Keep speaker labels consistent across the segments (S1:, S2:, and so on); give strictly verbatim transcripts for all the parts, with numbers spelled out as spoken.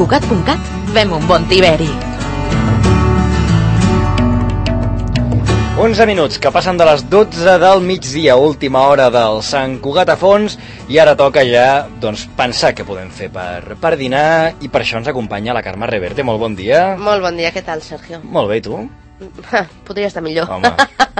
S1: Cugat punt cat fem un bon tiberi.
S2: onze minuts que passen de les dotze del migdia, última hora del Sant Cugat a fons, i ara toca ja doncs, pensar què podem fer per, per dinar, i per això ens acompanya la Carme Reverte. Molt bon dia.
S3: Molt bon dia, què tal, Sergio?
S2: Molt bé, i tu?
S3: Podria estar millor.
S2: Home,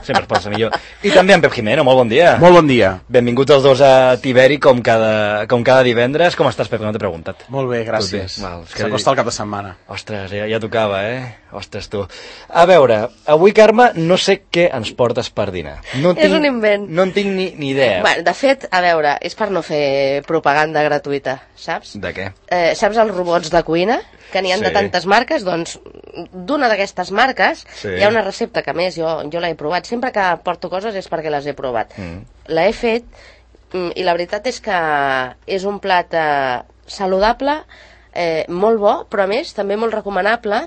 S2: sempre es pot estar millor. I també en Pep Jimeno, molt bon dia.
S4: Molt bon dia.
S2: Benvinguts els dos a Tiberi, com cada, com cada divendres. Com estàs, Pep? No t'he preguntat.
S4: Molt bé, gràcies.
S2: Val,
S4: s'acosta el cap de setmana.
S2: Ostres, ja, ja tocava, eh? Ostres, tu. A veure, avui, Carme, no sé què ens portes per dinar. No
S3: és tinc, un invent.
S2: No en tinc ni, ni idea.
S3: Bueno, de fet, a veure, és per no fer propaganda gratuïta, saps?
S2: De què?
S3: Eh, saps els robots de cuina? Que n'hi ha sí. de tantes marques, doncs d'una d'aquestes marques sí. hi ha una recepta que, a més, jo, jo l'he provat. Sempre que porto coses és perquè les he provat. Mm. L'he fet i la veritat és que és un plat eh, saludable, eh, molt bo, però a més també molt recomanable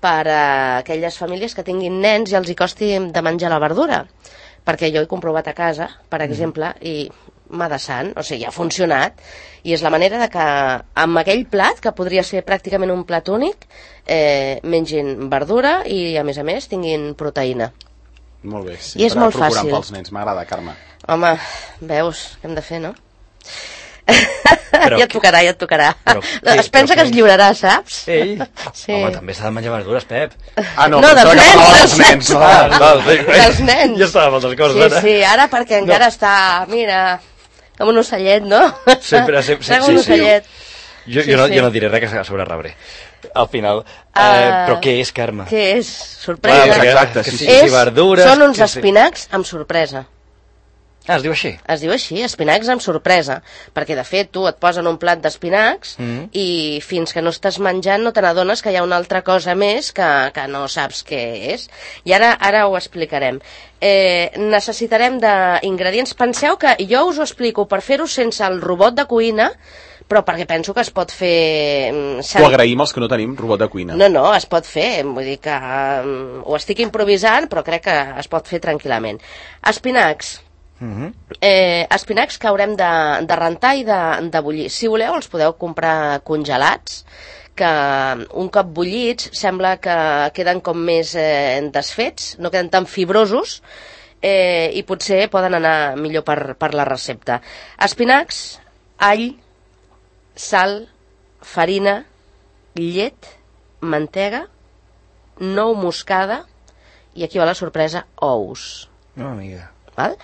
S3: per a aquelles famílies que tinguin nens i els hi costi de menjar la verdura. Perquè jo he comprovat a casa, per exemple, mm. i m'ha de sant, o sigui, ha funcionat, i és la manera de que amb aquell plat, que podria ser pràcticament un plat únic, eh, mengin verdura i, a més a més, tinguin proteïna.
S4: Molt bé, sí.
S3: I és molt fàcil.
S4: Pels nens, m'agrada, Carme.
S3: Home, veus, què hem de fer, no? Però, ja et tocarà, ja et tocarà. Però, es pensa que es lliurarà, saps?
S2: Ell? Sí. Home, també s'ha de menjar verdures, Pep.
S4: Ah, no,
S3: no dels nens,
S4: dels nens. No,
S2: no,
S3: dels nens.
S2: Ja estava amb altres coses,
S3: sí,
S2: ara.
S3: Sí, ara perquè encara no. està, mira, com un ocellet, no?
S2: Sempre, sempre,
S3: sempre un ocellet.
S2: Sí. Jo, jo, sí, no, sí. jo no diré res que sobre rebre. Al final. Uh, eh, però què és, Carme?
S3: Què és? Sorpresa.
S2: Ah, exacte, sí, sí, sí,
S3: és,
S2: verdures...
S3: Són uns
S2: sí,
S3: espinacs amb sorpresa.
S2: Ah, es diu així?
S3: Es diu així, espinacs amb sorpresa, perquè de fet tu et posen un plat d'espinacs mm. i fins que no estàs menjant no te n'adones que hi ha una altra cosa més que, que no saps què és. I ara ara ho explicarem. Eh, necessitarem d'ingredients. Penseu que jo us ho explico per fer-ho sense el robot de cuina, però perquè penso que es pot fer...
S4: Ho agraïm els que no tenim robot de cuina.
S3: No, no, es pot fer, vull dir que um, ho estic improvisant, però crec que es pot fer tranquil·lament. Espinacs. Uh-huh. eh, espinacs que haurem de, de rentar i de, de bullir. Si voleu els podeu comprar congelats, que un cop bullits sembla que queden com més eh, desfets, no queden tan fibrosos, eh, i potser poden anar millor per, per la recepta. Espinacs, all, sal, farina, llet, mantega, nou moscada i aquí va la sorpresa, ous.
S2: No, amiga.
S3: Val?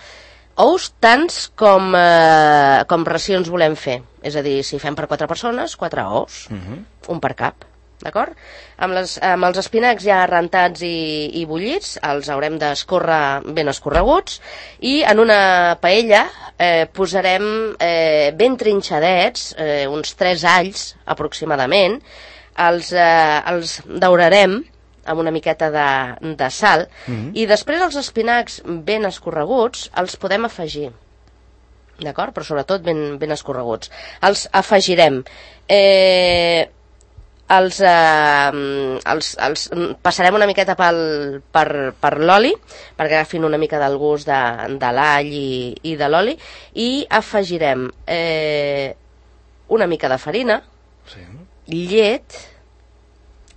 S3: Ous tants com, eh, com racions volem fer. És a dir, si fem per quatre persones, quatre ous, uh-huh. un per cap, d'acord? Amb, les, amb els espinacs ja rentats i, i bullits, els haurem d'escórrer ben escorreguts, i en una paella eh, posarem eh, ben trinxadets, eh, uns tres alls aproximadament, els, eh, els daurarem amb una miqueta de, de sal, mm-hmm. i després els espinacs ben escorreguts els podem afegir, d'acord? Però sobretot ben, ben escorreguts. Els afegirem. Eh, els, eh, els, els passarem una miqueta pel, per, per l'oli, perquè agafin una mica del gust de, de l'all i, i de l'oli, i afegirem eh, una mica de farina, sí. llet,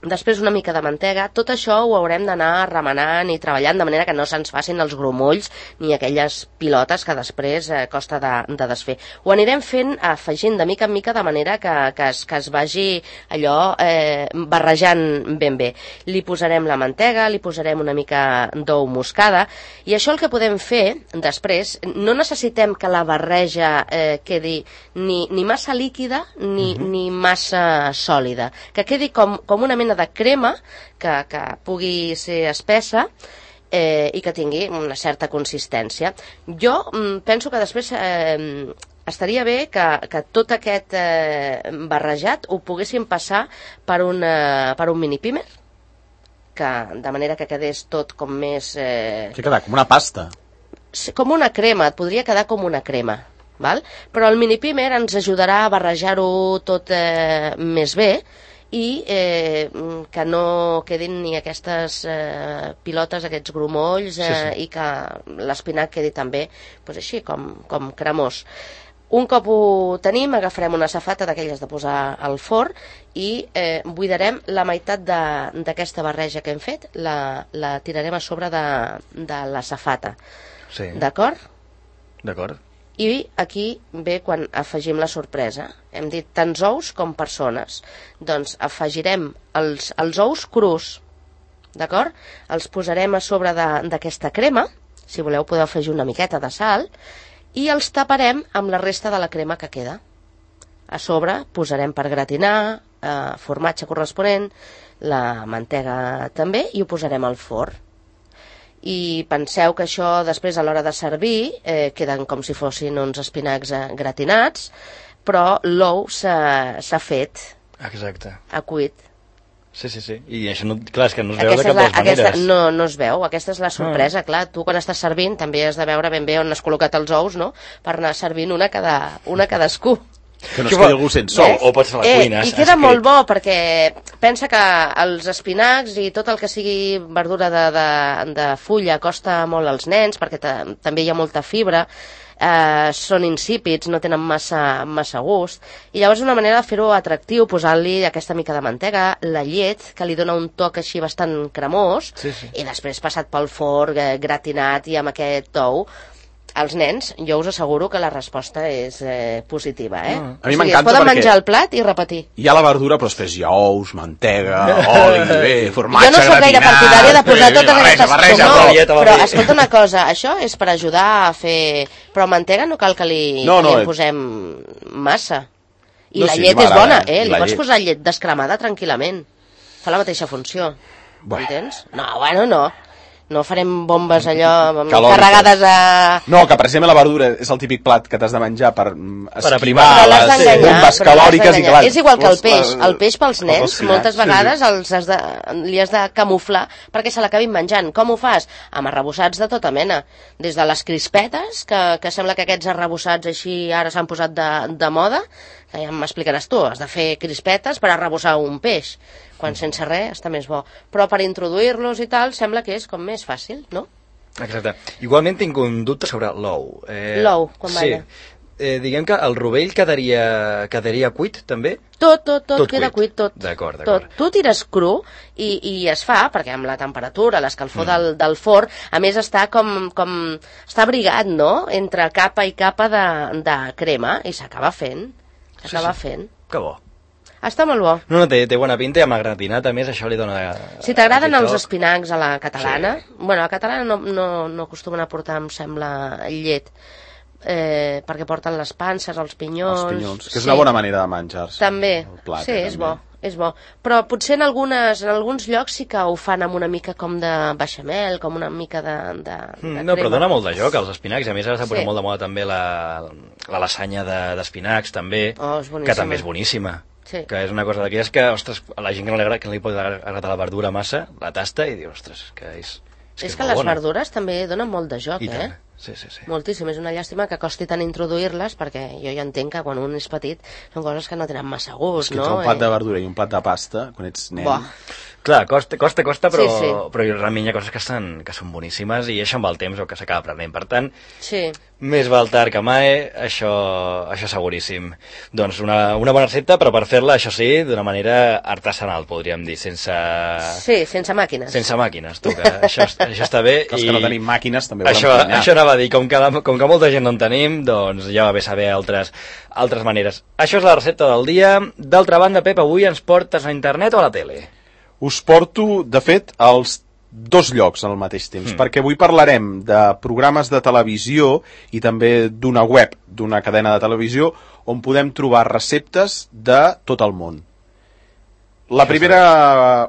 S3: després una mica de mantega. Tot això ho haurem d'anar remenant i treballant de manera que no se'ns facin els grumolls ni aquelles pilotes que després eh, costa de, de desfer. Ho anirem fent afegint de mica en mica de manera que, que, es, que es vagi allò eh, barrejant ben bé. Li posarem la mantega, li posarem una mica d'ou moscada, i això el que podem fer després, no necessitem que la barreja eh, quedi ni, ni massa líquida ni, uh-huh. ni massa sòlida, que quedi com, com una mena de crema que, que pugui ser espessa eh, i que tingui una certa consistència. Jo mm, penso que després eh, estaria bé que, que tot aquest eh, barrejat ho poguéssim passar per un, eh, per un mini pimer, que, de manera que quedés tot com més... Eh,
S4: que queda com una pasta.
S3: Com una crema, et podria quedar com una crema. Val? Però el mini pimer ens ajudarà a barrejar-ho tot eh, més bé, i eh, que no quedin ni aquestes eh, pilotes, aquests grumolls, eh, sí, sí. i que l'espinac quedi també pues, així com, com cremós. Un cop ho tenim, agafarem una safata d'aquelles de posar al forn i eh, buidarem la meitat d'aquesta barreja que hem fet, la, la tirarem a sobre de, de la safata.
S2: Sí.
S3: D'acord?
S2: D'acord.
S3: I aquí ve quan afegim la sorpresa. Hem dit tants ous com persones. Doncs afegirem els, els ous crus, d'acord? Els posarem a sobre d'aquesta crema, si voleu podeu afegir una miqueta de sal, i els taparem amb la resta de la crema que queda. A sobre posarem per gratinar, eh, formatge corresponent, la mantega també, i ho posarem al forn. I penseu que això després a l'hora de servir eh, queden com si fossin uns espinacs eh, gratinats, però l'ou s'ha fet.
S2: Exacte.
S3: Ha cuit.
S2: Sí, sí, sí. I això, no, clar, és que no es veu
S3: aquesta
S2: de cap de les
S3: la, aquesta,
S2: maneres.
S3: no, no es veu. Aquesta és la sorpresa, ah. clar. Tu quan estàs servint també has de veure ben bé on has col·locat els ous, no?, per anar servint una cada, una cadascú.
S4: Que no es quedi algú sense sou.
S2: O pots a la
S3: eh,
S2: cuina.
S3: I queda molt bo, perquè pensa que els espinacs i tot el que sigui verdura de, de, de fulla costa molt als nens, perquè també hi ha molta fibra, eh, són insípids, no tenen massa, massa gust, i llavors una manera de fer-ho atractiu, posant-li aquesta mica de mantega, la llet, que li dona un toc així bastant cremós,
S2: sí, sí.
S3: i després passat pel forn, eh, gratinat i amb aquest ou. Els nens, jo us asseguro que la resposta és eh, positiva, eh?
S4: Ah.
S3: A mi m'encanta perquè... poden menjar el plat i repetir.
S4: Hi ha la verdura, però després hi ha ous, mantega, oli, bé, formatge,
S3: gratinat... Jo no soc gaire partidària de posar totes
S4: barreja,
S3: aquestes
S4: barreja,
S3: coses.
S4: barreja,
S3: No, però escolta una cosa, això és per ajudar a fer... Però mantega no cal que li, no, no, que li en posem massa. I no, la sí, llet és bona, eh? Li pots llet. posar llet descremada tranquil·lament. Fa la mateixa funció. Bueno. Entens? No, bueno, no. No farem bombes allò carregades a...
S4: No, que per exemple la verdura és el típic plat que t'has de menjar per esquivar
S3: per
S4: les bombes calòriques i que...
S3: És igual que el peix. El peix pels nens moltes vegades els has de, li has de camuflar perquè se l'acabin menjant. Com ho fas? Amb arrebossats de tota mena. Des de les crispetes, que, que sembla que aquests arrebossats així ara s'han posat de, de moda, que ja m'explicaràs tu, has de fer crispetes per arrebossar un peix, quan sense res està més bo. Però per introduir-los i tal, sembla que és com més fàcil, no?
S2: Exacte. Igualment tinc un dubte sobre l'ou. Eh,
S3: l'ou, com
S2: sí.
S3: balla.
S2: Eh, diguem que el rovell quedaria, quedaria cuit, també?
S3: Tot, tot, tot,
S2: tot
S3: queda cuit, tot.
S2: D'acord, d'acord.
S3: Tu tires cru i, i es fa, perquè amb la temperatura, l'escalfor mm. del, del forn, a més està com, com... està abrigat, no?, entre capa i capa de, de crema, i s'acaba fent. S'acaba sí, sí. fent.
S2: Que bo.
S3: Està molt bo.
S2: No, no, té, té bona pinta i amb la gratinat, a més, això li dona...
S3: Si t'agraden els espinacs a la catalana, sí. bueno, a la catalana no, no, no acostumen a portar, em sembla, llet, eh, perquè porten les panses, els pinyons...
S4: Els pinyons, que és sí. una bona manera de menjar-se.
S3: També,
S4: plat,
S3: sí, és
S4: també.
S3: bo. És bo, però potser en, algunes, en alguns llocs sí que ho fan amb una mica com de beixamel, com una mica de, de, de
S2: mm, No, però dona molt de joc als espinacs, i a més ara s'ha posat
S3: sí.
S2: molt de moda també la, la lasanya d'espinacs, de, també,
S3: oh,
S2: que també és boníssima.
S3: Sí.
S2: Que és una cosa d'aquelles que, ostres, a la gent que no li agrada, que no li pot agradar la verdura massa, la tasta i diu, ostres, que és... És,
S3: és
S2: que,
S3: que
S2: és
S3: les
S2: bona.
S3: verdures també donen molt de joc,
S2: I
S3: eh?
S2: tant. Sí, sí, sí.
S3: Moltíssim, és una llàstima que costi tant introduir-les, perquè jo ja entenc que quan un és petit són coses que no tenen massa gust,
S4: és que
S3: no?
S4: un plat de verdura i un plat de pasta, quan ets nen...
S3: Buah.
S2: Clar, costa, costa, costa, però,
S3: sí, sí.
S2: però realment hi ha coses que, estan, que són boníssimes i això amb el temps o que s'acaba aprenent. Per tant,
S3: sí.
S2: més val tard que mai, això, això seguríssim. Doncs una, una bona recepta, però per fer-la, això sí, d'una manera artesanal, podríem dir, sense...
S3: Sí, sense màquines.
S2: Sense màquines, tu, que això, això està bé.
S4: Que els
S2: i...
S4: que no tenim màquines també
S2: això,
S4: volem cuinar.
S2: Això anava a dir, com que, la, com que molta gent no en tenim, doncs ja va bé saber altres, altres maneres. Això és la recepta del dia. D'altra banda, Pep, avui ens portes a internet o a la tele?
S4: Us porto, de fet, als dos llocs al mateix temps, mm. perquè avui parlarem de programes de televisió i també d'una web, d'una cadena de televisió, on podem trobar receptes de tot el món. La primera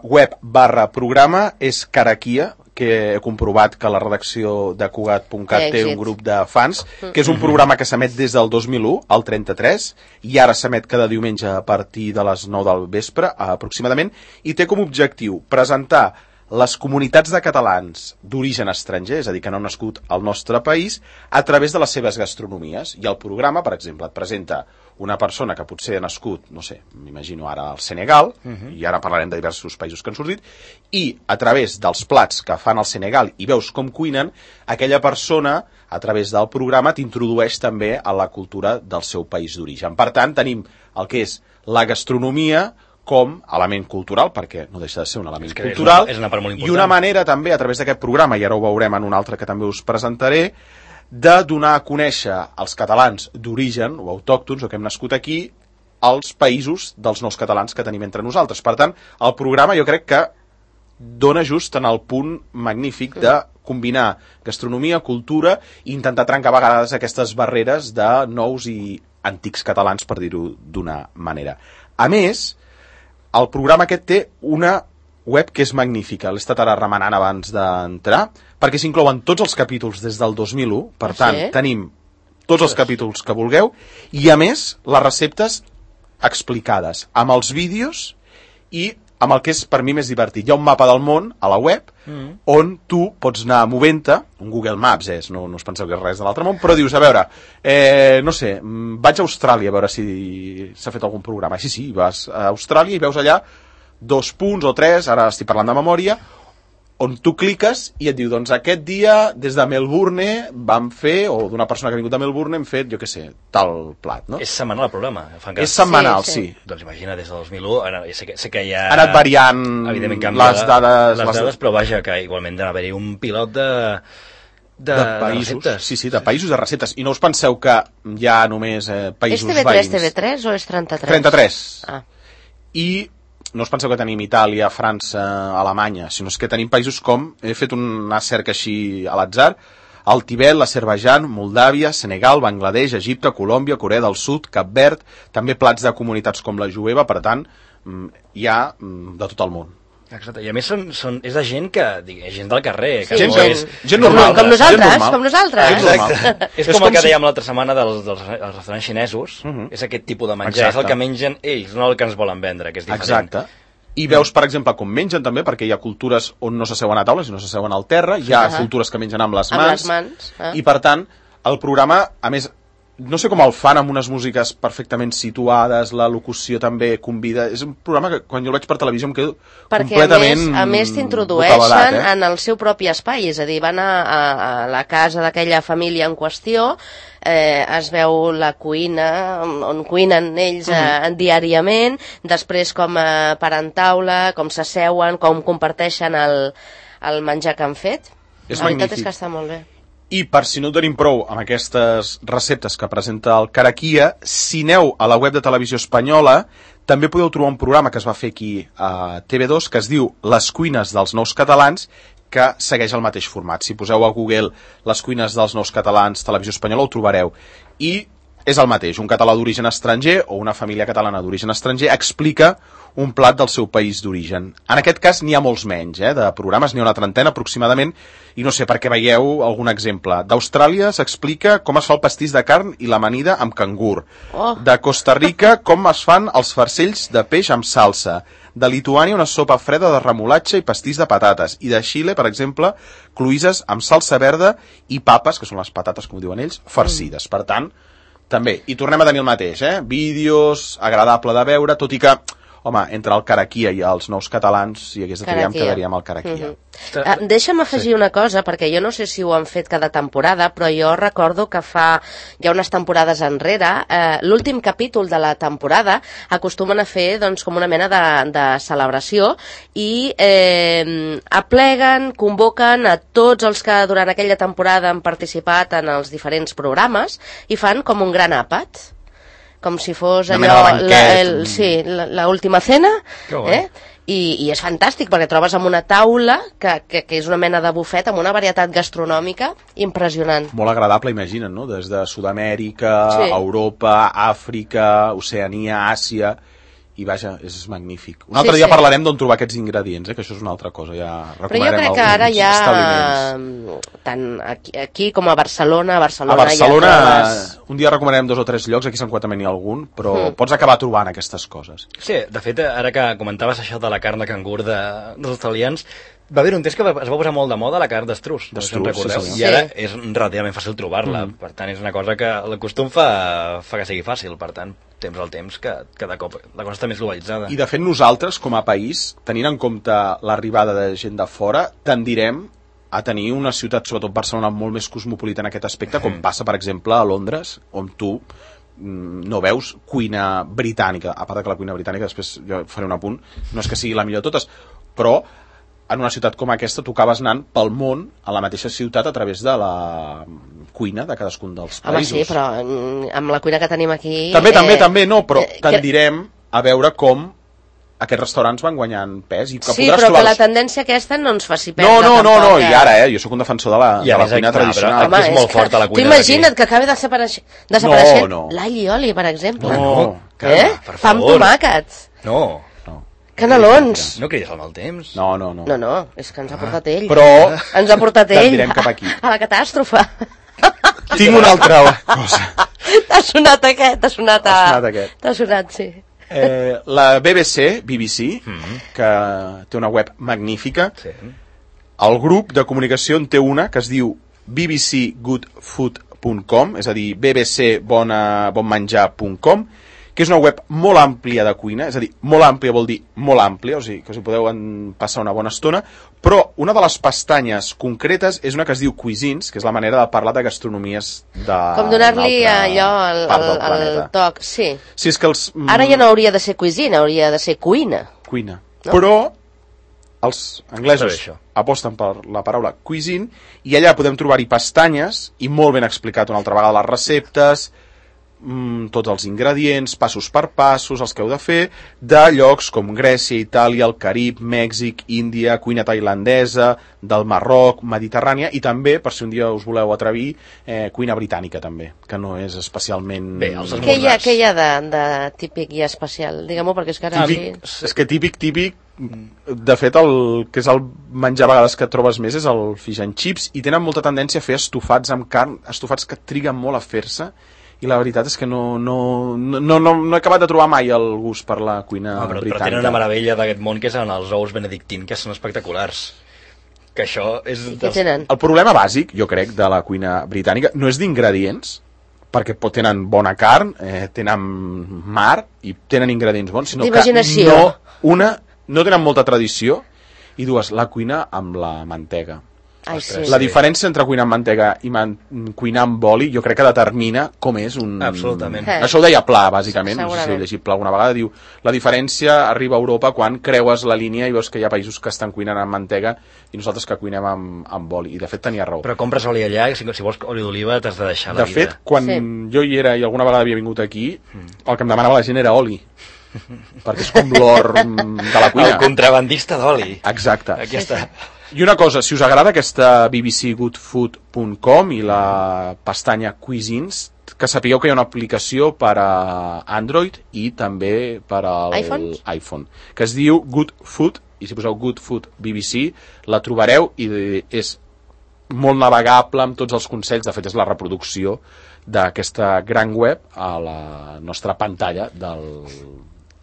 S4: web barra programa és Caraquia, que he comprovat que la redacció de Cugat punt cat té un grup de fans, que és un programa que s'emet des del dos mil u al trenta-tres, i ara s'emet cada diumenge a partir de les nou del vespre, aproximadament, i té com a objectiu presentar les comunitats de catalans d'origen estranger, és a dir, que no han nascut al nostre país, a través de les seves gastronomies. I el programa, per exemple, et presenta una persona que potser ha nascut, no sé, m'imagino ara al Senegal, uh-huh. i ara parlarem de diversos països que han sortit, i a través dels plats que fan al Senegal i veus com cuinen, aquella persona, a través del programa, t'introdueix també a la cultura del seu país d'origen. Per tant, tenim el que és la gastronomia com element cultural, perquè no deixa de ser un element cultural,
S2: és una, és una part molt important.
S4: I una manera també, a través d'aquest programa, i ara ho veurem en un altre que també us presentaré, de donar a conèixer als catalans d'origen, o autòctons, o que hem nascut aquí, als països dels nous catalans que tenim entre nosaltres. Per tant, el programa jo crec que dona just en el punt magnífic de combinar gastronomia, cultura, i intentar trencar a vegades aquestes barreres de nous i antics catalans, per dir-ho d'una manera. A més, el programa aquest té una web que és magnífica. L'he estat ara remenant abans d'entrar, perquè s'inclouen tots els capítols des del dos mil u, per tant, sí. Tenim tots els capítols que vulgueu, i a més, les receptes explicades, amb els vídeos i amb el que és per mi més divertit. Hi ha un mapa del món a la web mm. on tu pots anar movent-te, un Google Maps és, no, no us penseu que és res de l'altre món, però dius, a veure, eh, no sé, vaig a Austràlia a veure si s'ha fet algun programa. Sí, sí, vas a Austràlia i veus allà dos punts o tres, ara estic parlant de memòria, on tu cliques i et diu, doncs aquest dia des de Melbourne vam fer, o d'una persona que ha vingut de Melbourne hem fet, jo què sé, tal plat, no?
S2: És setmanal el programa?
S4: És setmanal, sí, sí.
S2: sí. Doncs imagina, des del dos mil u, ara, sé, que, sé que hi ha...
S4: Ha anat variant
S2: evidentment
S4: canvia, les dades...
S2: Les dades, però vaja, que igualment d'haver-hi un pilot de... De,
S4: de països,
S2: de
S4: sí, sí, de països de receptes. I no us penseu que hi ha només eh, països
S3: veïns. És T V tres,
S4: veïns.
S3: T V tres o és trenta-tres?
S4: trenta-tres.
S3: Ah.
S4: I no us penseu que tenim Itàlia, França, Alemanya, sinó que tenim països com, he fet una cerca així a l'atzar, el Tibet, l'Azerbaidjan, Moldàvia, Senegal, Bangladesh, Egipte, Colòmbia, Corea del Sud, Cap Verd, també plats de comunitats com la jueva, per tant, hi ha de tot el món.
S2: Exacte, i a més són, són, és de gent que, és gent del carrer, que
S3: sí,
S2: no
S3: gent,
S2: és...
S4: Gent normal.
S3: Com, com nosaltres,
S4: gent normal.
S3: com nosaltres.
S2: Exacte. És, és com, com el que
S4: si...
S2: dèiem l'altra setmana dels, dels, dels restaurants xinesos, uh -huh. és aquest tipus de menjar, Exacte. És el que mengen ells, no el que ens volen vendre, que és diferent.
S4: Exacte. I veus, per exemple, com mengen també, perquè hi ha cultures on no s'asseuen a taules i no s'asseuen al terra, hi ha uh -huh. cultures que mengen amb les mans,
S3: amb les mans eh?
S4: I per tant, el programa, a més, no sé com el fan amb unes músiques perfectament situades, la locució també convida, és un programa que quan jo el veig per televisió em quedo
S3: perquè
S4: completament
S3: perquè a més, més t'introdueixen
S4: bocabadat, eh?
S3: en el seu propi espai, és a dir, van a, a, a la casa d'aquella família en qüestió, eh, es veu la cuina on, on cuinen ells eh, mm. diàriament, després com eh, paran taula, com s'asseuen, com comparteixen el, el menjar que han fet.
S4: És
S3: la veritat
S4: magnífic.
S3: És que està molt bé.
S4: I per si no tenim prou amb aquestes receptes que presenta el Caraquia, si aneu a la web de Televisió Espanyola, també podeu trobar un programa que es va fer aquí a T V dos, que es diu Les cuines dels nous catalans, que segueix el mateix format. Si poseu a Google Les cuines dels nous catalans, Televisió Espanyola, ho trobareu. I és el mateix, un català d'origen estranger o una família catalana d'origen estranger explica un plat del seu país d'origen. En aquest cas n'hi ha molts menys, eh, de programes, n'hi ha una trentena aproximadament, i no sé, perquè veieu algun exemple. D'Austràlia s'explica com es fa el pastís de carn i l'amanida amb cangur.
S3: Oh.
S4: De Costa Rica, com es fan els farcells de peix amb salsa. De Lituània, una sopa freda de remolatxa i pastís de patates. I de Xile, per exemple, cloïsses amb salsa verda i papes, que són les patates, com diuen ells, farcides. Mm. Per tant, també. I tornem a tenir el mateix, eh? Vídeos, agradable de veure, tot i que, home, entre el Caraquia i els nous catalans, si hagués de triar, em quedaria amb el Caraquia.
S3: Mm -hmm. uh, deixa'm afegir sí. una cosa, perquè jo no sé si ho han fet cada temporada, però jo recordo que fa ja unes temporades enrere, eh, l'últim capítol de la temporada acostumen a fer doncs, com una mena de, de celebració i eh, apleguen, convoquen a tots els que durant aquella temporada han participat en els diferents programes i fan com un gran àpat, com si fos allò, la, el, sí, l'última cena, eh? I, i és fantàstic perquè trobes amb una taula que, que, que és una mena de bufet amb una varietat gastronòmica impressionant.
S4: Molt agradable, imagina't, no? Des de Sud-amèrica, sí. Europa, Àfrica, Oceania, Àsia... I vaja, és magnífic. Un altre
S3: sí,
S4: dia
S3: sí.
S4: parlarem d'on trobar aquests ingredients, eh? Que això és una altra cosa, ja
S3: recomanarem. Però jo crec que ara ja, tant aquí, aquí com a Barcelona, a Barcelona,
S4: a Barcelona
S3: ja trobes...
S4: un dia recomanarem dos o tres llocs, aquí a Sant Cugat també n'hi ha algun, però mm. pots acabar trobant aquestes coses.
S2: Sí, de fet, ara que comentaves això de la carn de cangur de, dels australians, Va haver un temps que va- es va posar molt de moda la carn d'estruç, no sé si en
S4: D'estruç,
S2: recordeu,
S4: sí, senyor.
S2: i ara
S3: Sí.
S2: és relativament fàcil trobar-la,
S4: Mm.
S2: per tant és una cosa que el costum fa, fa que sigui fàcil, per tant, temps al temps que cada cop la cosa està més globalitzada.
S4: I de fet nosaltres, com a país, tenint en compte l'arribada de gent de fora, tendirem a tenir una ciutat, sobretot Barcelona, molt més cosmopolita en aquest aspecte, com passa, per exemple, a Londres, on tu mm, no veus cuina britànica, a part de que la cuina britànica, després jo faré un apunt, no és que sigui la millor de totes, però en una ciutat com aquesta tu acabes anant pel món a la mateixa ciutat a través de la cuina de cadascun dels
S3: Home,
S4: països.
S3: sí, però mm, amb la cuina que tenim aquí...
S4: També, també, també, no, però
S3: eh, que-
S4: tendirem a veure com aquests restaurants van guanyant pes i que
S3: Sí,
S4: podràs
S3: però que
S4: trobar...
S3: la tendència aquesta no ens faci perdre
S4: No, no, no,
S3: tampoc,
S4: no,
S3: eh?
S4: i ara, eh, jo sóc un defensor de la,
S2: I a
S4: de la
S2: més,
S4: cuina
S2: clar,
S4: tradicional.
S2: però- Aquí és molt
S3: que
S2: forta la cuina
S3: Tu imagina't
S2: d'aquí.
S3: que acabi desapareixent, desapareixent
S4: No, no.
S3: l'all i oli, per exemple.
S4: No,
S2: carme,
S3: eh?
S2: per
S3: Pa amb
S2: favor.
S3: tomàquets,
S2: No,
S4: No,
S3: canelons.
S2: no cridis al mal temps.
S4: no, no. no.
S3: No, no, és que ens ha portat ell.
S4: Però
S3: Ens ha portat ell
S4: tendirem cap aquí.
S3: a la catàstrofe.
S4: tinc una altra cosa.
S3: T'ha sonat aquest, t'ha sonat a...
S4: T'ha sonat aquest.
S3: T'ha sonat, sí.
S4: Eh, la B B C, B B C,
S2: Mm-hmm.
S4: que té una web magnífica,
S2: Sí.
S4: el grup de comunicació en té una que es diu b b c good food punt com, és a dir, b b c bona, bonmenjar punt com, que és una web molt àmplia de cuina, és a dir, molt àmplia vol dir molt àmplia, o sigui, que us hi podeu en passar una bona estona, però una de les pestanyes concretes és una que es diu Cuisines, que és la manera de parlar de gastronomies de...
S3: Com donar-li
S4: d'una altra
S3: allò, el,
S4: part del
S3: el, el
S4: planeta.
S3: toc, sí.
S4: Sí, és que els... mm,
S3: Ara ja no hauria de ser cuisine, hauria de ser cuina.
S4: Cuina.
S3: No?
S4: Però els anglesos
S2: Està bé, això.
S4: aposten per la paraula cuisine i allà podem trobar-hi pestanyes i molt ben explicat una altra vegada les receptes, mm, tots els ingredients, passos per passos, els que heu de fer, de llocs com Grècia, Itàlia, el Carib, Mèxic, Índia, cuina tailandesa, del Marroc, Mediterrània, i també, per si un dia us voleu atrevir, eh, cuina britànica també, que no és especialment...
S2: Bé, els
S3: Què hi ha,
S2: esmorzars.
S3: què hi ha de, de típic i especial? Digue-m'ho, perquè és que ara...
S4: Típic,
S3: sí.
S4: és que típic, típic, de fet, el que és el menjar a vegades que trobes més és el fish and chips, i tenen molta tendència a fer estofats amb carn, estofats que triguen molt a fer-se, i la veritat és que no, no, no, no, no he acabat de trobar mai el gust per la cuina
S2: Ah, però, però
S4: britànica.
S2: tenen una meravella d'aquest món que són els ous benedictins, que són espectaculars. Que això és...
S3: I què tenen?
S4: El problema bàsic, jo crec, de la cuina britànica no és d'ingredients, perquè pot, tenen bona carn, eh, tenen mar i tenen ingredients bons, sinó que
S3: D'imaginació.
S4: no, una, no tenen molta tradició, i dues, la cuina amb la mantega.
S3: Ai, sí.
S4: La diferència entre cuinar amb mantega i man cuinar amb oli jo crec que determina com és un...
S2: Absolutament.
S3: Eh.
S4: Això ho deia Pla, bàsicament, no sé si
S3: Segurament.
S4: heu llegit Pla alguna vegada, diu la diferència arriba a Europa quan creues la línia i veus que hi ha països que estan cuinant amb mantega i nosaltres que cuinem amb, amb oli, i de fet tenia raó.
S2: Però compres oli allà, si, si vols oli d'oliva t'has de deixar la
S4: De
S2: vida.
S4: fet, quan
S3: Sí.
S4: jo hi era i alguna vegada havia vingut aquí, el que em demanava la gent era oli, perquè és com l'or mm, de la cuina.
S2: El contrabandista d'oli.
S4: Exacte.
S2: Aquí està.
S4: I una cosa, si us agrada aquesta b b c good food punt com i la pestanya Cuisines, que sapigueu que hi ha una aplicació per a Android i també per a
S3: iPhones?
S4: iPhone, que es diu Good Food, i si poseu Good Food B B C la trobareu i és molt navegable amb tots els consells, de fet és la reproducció d'aquesta gran web a la nostra pantalla del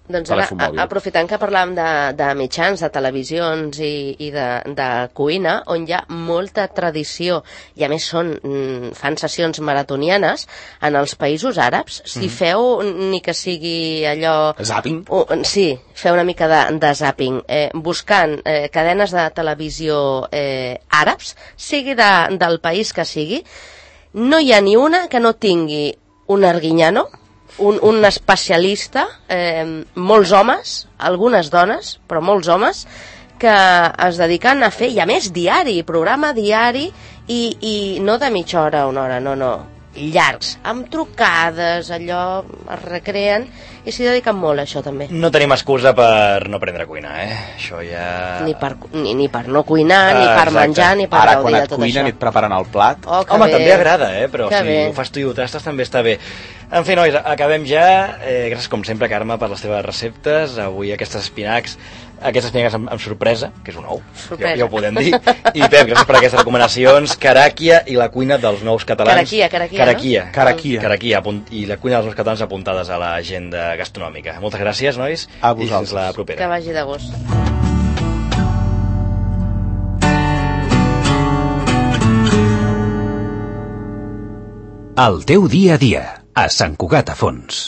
S3: Doncs ara,
S4: telèfon mòbil.
S3: a- aprofitant que parlàvem de, de mitjans, de televisions i, i de, de cuina, on hi ha molta tradició, i a més són, mm, fan sessions maratonianes, en els països àrabs, si feu ni que sigui allò...
S4: Zapping.
S3: Uh, sí, fer una mica de, de zapping, eh, buscant eh, cadenes de televisió eh, àrabs, sigui de, del país que sigui, no hi ha ni una que no tingui un arguiñano, un, un especialista, eh, molts homes, algunes dones, però molts homes, que es dediquen a fer, i a més diari, programa diari, i, i no de mitja hora a una hora, no, no, llargs, amb trucades, allò, es recreen, i s'hi dediquen molt a això també.
S2: No tenim excusa per no aprendre a cuinar, eh? Això ja...
S3: Ni per, ni, ni per no cuinar,
S2: Ah,
S3: ni per
S2: exacte.
S3: menjar, ni per
S4: Ara,
S3: gaudir
S4: quan
S3: de
S4: et
S3: tot
S4: cuinen
S3: això.
S4: i et preparen el plat,
S3: Oh, que
S2: Home,
S3: bé.
S2: també agrada, eh? Però
S3: Que
S2: si
S3: bé.
S2: ho fas tu i ho tastes també està bé. En fi, nois, acabem ja. Eh, gràcies, com sempre, Carme, per les teves receptes. Avui aquestes espinacs, aquestes espinacs amb, amb sorpresa, que és un ou, ja,
S3: Sorpresa.
S2: ja ho podem dir. I Pep, gràcies per aquestes recomanacions. Caràquia i la cuina dels nous catalans.
S3: Caraquia, caraquia,
S2: Caraquia.
S3: no?
S4: Caraquia.
S2: Caraquia, apunt, i la cuina dels nous catalans apuntades a l'agenda gastronòmica. Moltes gràcies, nois.
S4: A
S2: I fins
S4: vosaltres.
S2: la
S3: Que
S2: propera.
S3: vagi de gust.
S5: El teu dia a dia, a Sant Cugat a Fons.